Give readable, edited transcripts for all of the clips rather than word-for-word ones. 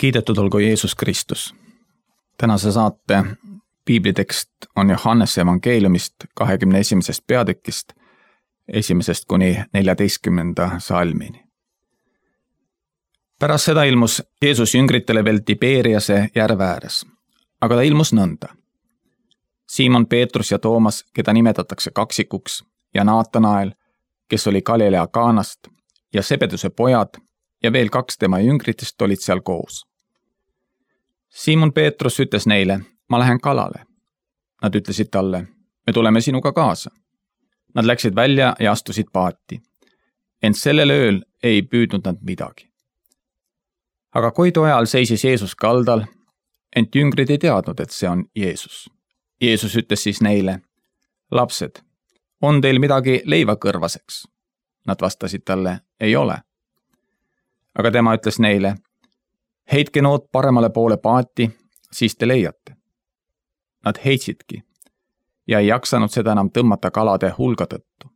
Kiidetud olgu Jeesus Kristus. Tänase saate piiblitekst on Johannese evangeeliumist 21. peatükist 1. kuni 14. salmini. Pärast seda ilmus Jeesus jüngritele veel Tiberiase järve ääres, aga ta ilmus nõnda. Siimon Peetrus ja Toomas, keda nimetatakse kaksikuks, ja Naatanael, kes oli Galilea Kaanast, ja Sebeduse pojad ja veel 2 tema jüngritest olid seal koos. Siimon Peetrus ütles neile, ma lähen kalale. Nad ütlesid talle, me tuleme sinuga kaasa. Nad läksid välja ja astusid paati. Ent sellel ööl ei püüdnud nad midagi. Aga koidu ajal seisis Jeesus kaldal, ent jüngrid ei teadnud, et see on Jeesus. Jeesus ütles siis neile, lapsed, on teil midagi leivakõrvaseks? Nad vastasid talle, ei ole. Aga tema ütles neile, heitke nood paremale poole paati, siis te leiate. Nad heitsidki ja ei jaksanud seda enam tõmmata kalade hulga tõttu.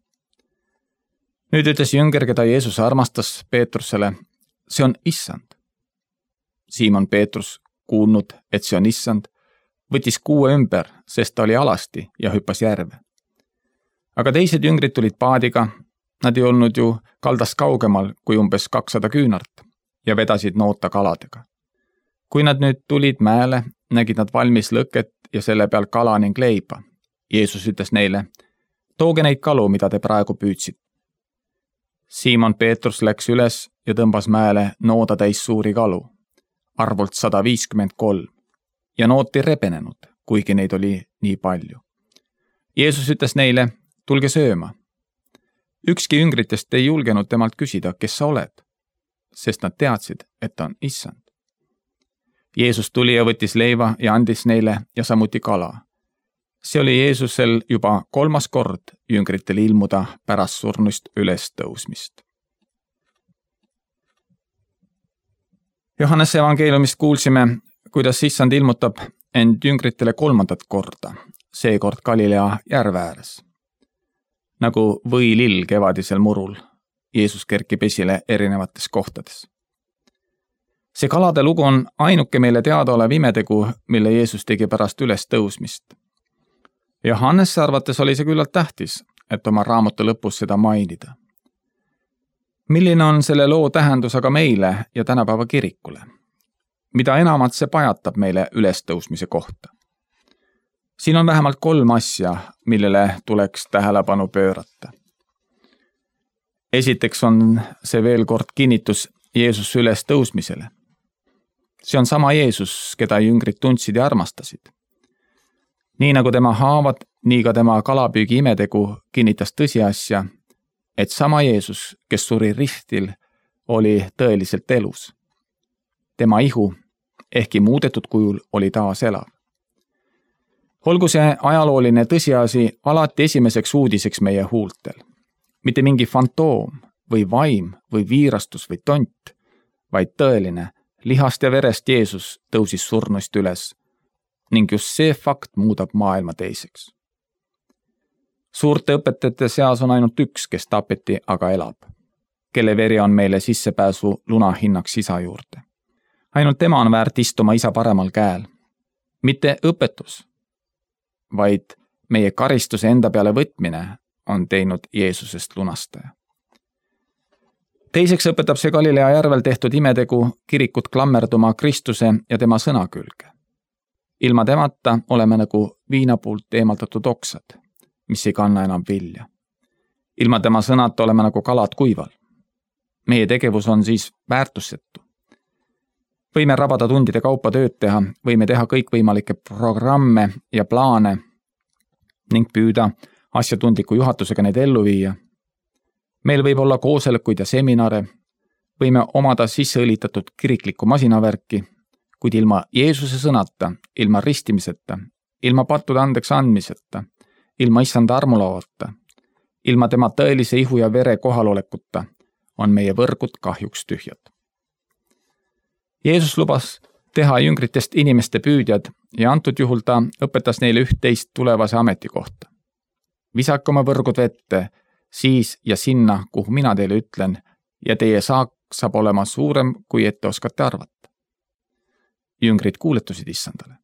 Nüüd ütles jünger, keda Jeesus armastas Peetrusele, see on issand. Siimon Peetrus, kuulnud, et see on issand, võttis kuue ümber, sest ta oli alasti ja hüppas järve. Aga teised jüngrid tulid paadiga, nad ei olnud ju kaldast kaugemal kui umbes 200 küünart ja vedasid noota kaladega. Kui nad nüüd tulid mäele, nägid nad valmis lõket ja selle peal kala ning leiba. Jeesus ütles neile, tooge neid kalu, mida te praegu püüdsid. Siimon Peetrus läks üles ja tõmbas mäele nooda täis suuri kalu, arvult 153, ja noot ei rebenenud, kuigi neid oli nii palju. Jeesus ütles neile, tulge sööma. Ükski jüngritest ei julgenud temalt küsida, kes sa oled, sest nad teadsid, et ta on issand. Jeesus tuli ja võttis leiva ja andis neile ja samuti kala. See oli Jeesusel juba 3. kord jüngritel ilmuda pärast surnust üles tõusmist. Johannese evangeeliumist kuulsime, kuidas issand ilmutab end jüngritele 3. korda, seekord Galilea järve ääres. Nagu võilill kevadisel murul, Jeesus kerkib esile erinevates kohtades. See kalade lugu on ainuke meile teadaolev imetegu, mille Jeesus tegi pärast üles tõusmist. Johannese arvates oli see küllalt tähtis, et oma raamatu lõpus seda mainida. Milline on selle loo tähendus aga meile ja tänapäeva kirikule? Mida enamat see pajatab meile ülestõusmise kohta? Siin on vähemalt 3 asja, millele tuleks tähelepanu pöörata. Esiteks on see veel kord kinnitus Jeesuse ülestõusmisele. See on sama Jeesus, keda jüngrid tundsid ja armastasid. Nii nagu tema haavad, nii ka tema kalapüügi imetegu kinnitas tõsiasja, et sama Jeesus, kes suri ristil, oli tõeliselt elus. Tema ihu, ehkki muudetud kujul, oli taas elav. Olgu see ajalooline tõsiasi alati esimeseks uudiseks meie huultel. Mitte mingi fantoom või vaim või viirastus või tont, vaid tõeline, lihast ja verest Jeesus tõusis surnuist üles ning just see fakt muudab maailma teiseks. Suurte õpetajate seas on ainult üks, kes tapeti, aga elab, kelle veri on meile sissepääsu lunahinnaks isa juurde. Ainult tema on väärt istuma isa paremal käel. Mitte õpetus, vaid meie karistuse enda peale võtmine on teinud Jeesusest lunastaja. Teiseks õpetab see Galilea järvel tehtud imetegu kirikut klammerduma Kristuse ja tema sõna külge. Ilma temata oleme nagu viinapuult eemaldatud oksad, mis ei kanna enam vilja. Ilma tema sõnata oleme nagu kalad kuival. Meie tegevus on siis väärtussetu. Võime rabada tundide kaupa tööd teha, võime teha kõikvõimalikke programme ja plaane ning püüda asjatundliku juhatusega neid ellu viia. Meil võib olla koosolekuid ja seminare, võime omada sisseõlitatud kiriklikku masinavärki, kuid ilma Jeesuse sõnata, ilma ristimiseta, ilma pattude andeks andmiseta, ilma issanda armulavata, ilma tema tõelise ihu ja vere kohalolekuta on meie võrgud kahjuks tühjad. Jeesus lubas teha jüngritest inimeste püüdjad ja antud juhul ta õpetas neile 11 tulevase ametikohta. Visake oma võrgud vette, siis ja sinna, kuhu mina teile ütlen, ja teie saak saab olema suurem, kui ette oskate arvata. jüngrid kuuletusid issandale.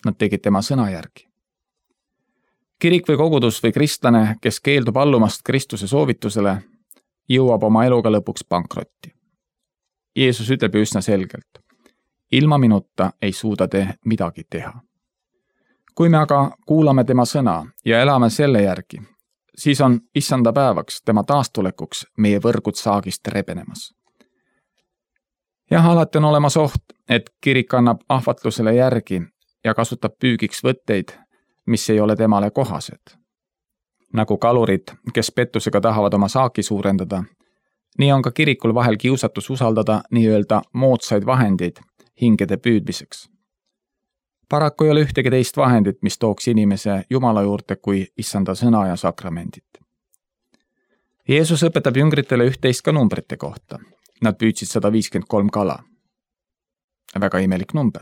Nad tegid tema sõna järgi. Kirik või kogudus või kristlane, kes keeldub allumast Kristuse soovitusele, jõuab oma eluga lõpuks pankrotti. Jeesus ütleb ju üsna selgelt: ilma minuta ei suuda te midagi teha. Kui me aga kuulame tema sõna ja elame selle järgi, siis on issanda päevaks, tema taastulekuks meie võrgud saagist rebenemas. Jah, alati on olemas oht, et kirik annab ahvatlusele järgi ja kasutab püügiks võtteid, mis ei ole temale kohased. Nagu kalurid, kes pettusega tahavad oma saaki suurendada, nii on ka kirikul vahel kiusatus usaldada nii-öelda moodsaid vahendeid hingede püüdmiseks. Paraku ei ole ühtegi teist vahendit, mis tooks inimese Jumala juurde kui issanda sõna ja sakramendid. Jeesus õpetab jüngritele üht-teist ka numbrite kohta. Nad püüdsid 153 kala. Väga imelik number.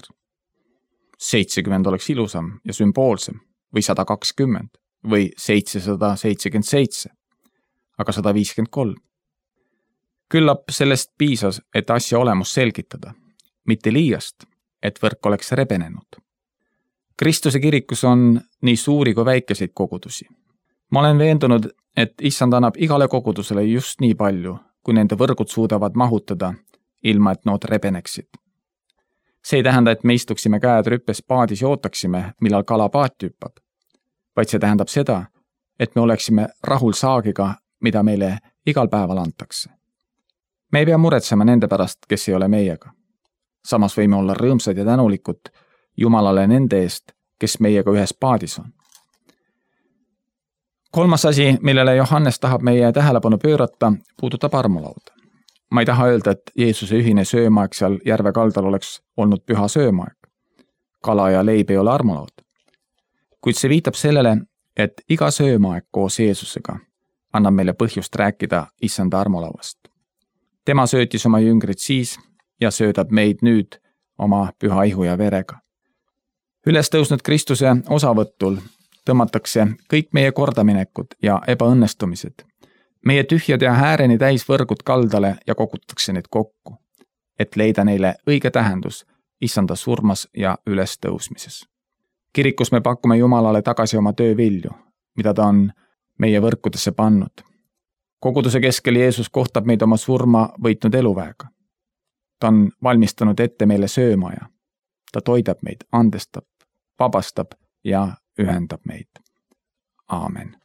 70 oleks ilusam ja sümboolsem või 120 või 777, aga 153. Küllap sellest piisas, et asja olemus selgitada, mitte liiast, et võrk oleks rebenenud. Kristuse kirikus on nii suuri kui väikeseid kogudusi. Ma olen veendunud, et issand annab igale kogudusele just nii palju, kui nende võrgud suudavad mahutada, ilma et nood rebeneksid. See ei tähenda, et me istuksime käed rüppes paadis ja ootaksime, millal kala paati hüppab, vaid see tähendab seda, et me oleksime rahul saagiga, mida meile igal päeval antakse. Me ei pea muretsema nende pärast, kes ei ole meiega. Samas võime olla rõõmsad ja tänulikud Jumalale nende eest, kes meiega ühes paadis on. Kolmas asi, millele Johannes tahab meie tähelepanu pöörata, puudutab armulauda. Ma ei taha öelda, et Jeesuse ühine söömaeg seal järve kaldal oleks olnud püha söömaeg. Kala ja leib ei ole armulaud. Kuid see viitab sellele, et iga söömaeg koos Jeesusega annab meile põhjust rääkida issanda armulauast. Tema söötis oma jüngrid siis ja söödab meid nüüd oma püha ihu ja verega. Üles tõusnud Kristuse osavõtul tõmmatakse kõik meie kordaminekud ja ebaõnnestumised, meie tühjad ja hääreni täis võrgud kaldale ja kogutakse need kokku, et leida neile õige tähendus issanda surmas ja ülestõusmises. Kirikus me pakume Jumalale tagasi oma töövilju, mida ta on meie võrkudesse pannud. Koguduse keskel Jeesus kohtab meid oma surma võitnud eluväega. Ta on valmistanud ette meile söömaja. Ta toidab meid, andestab, vabastab ja ühendab meid. Aamen.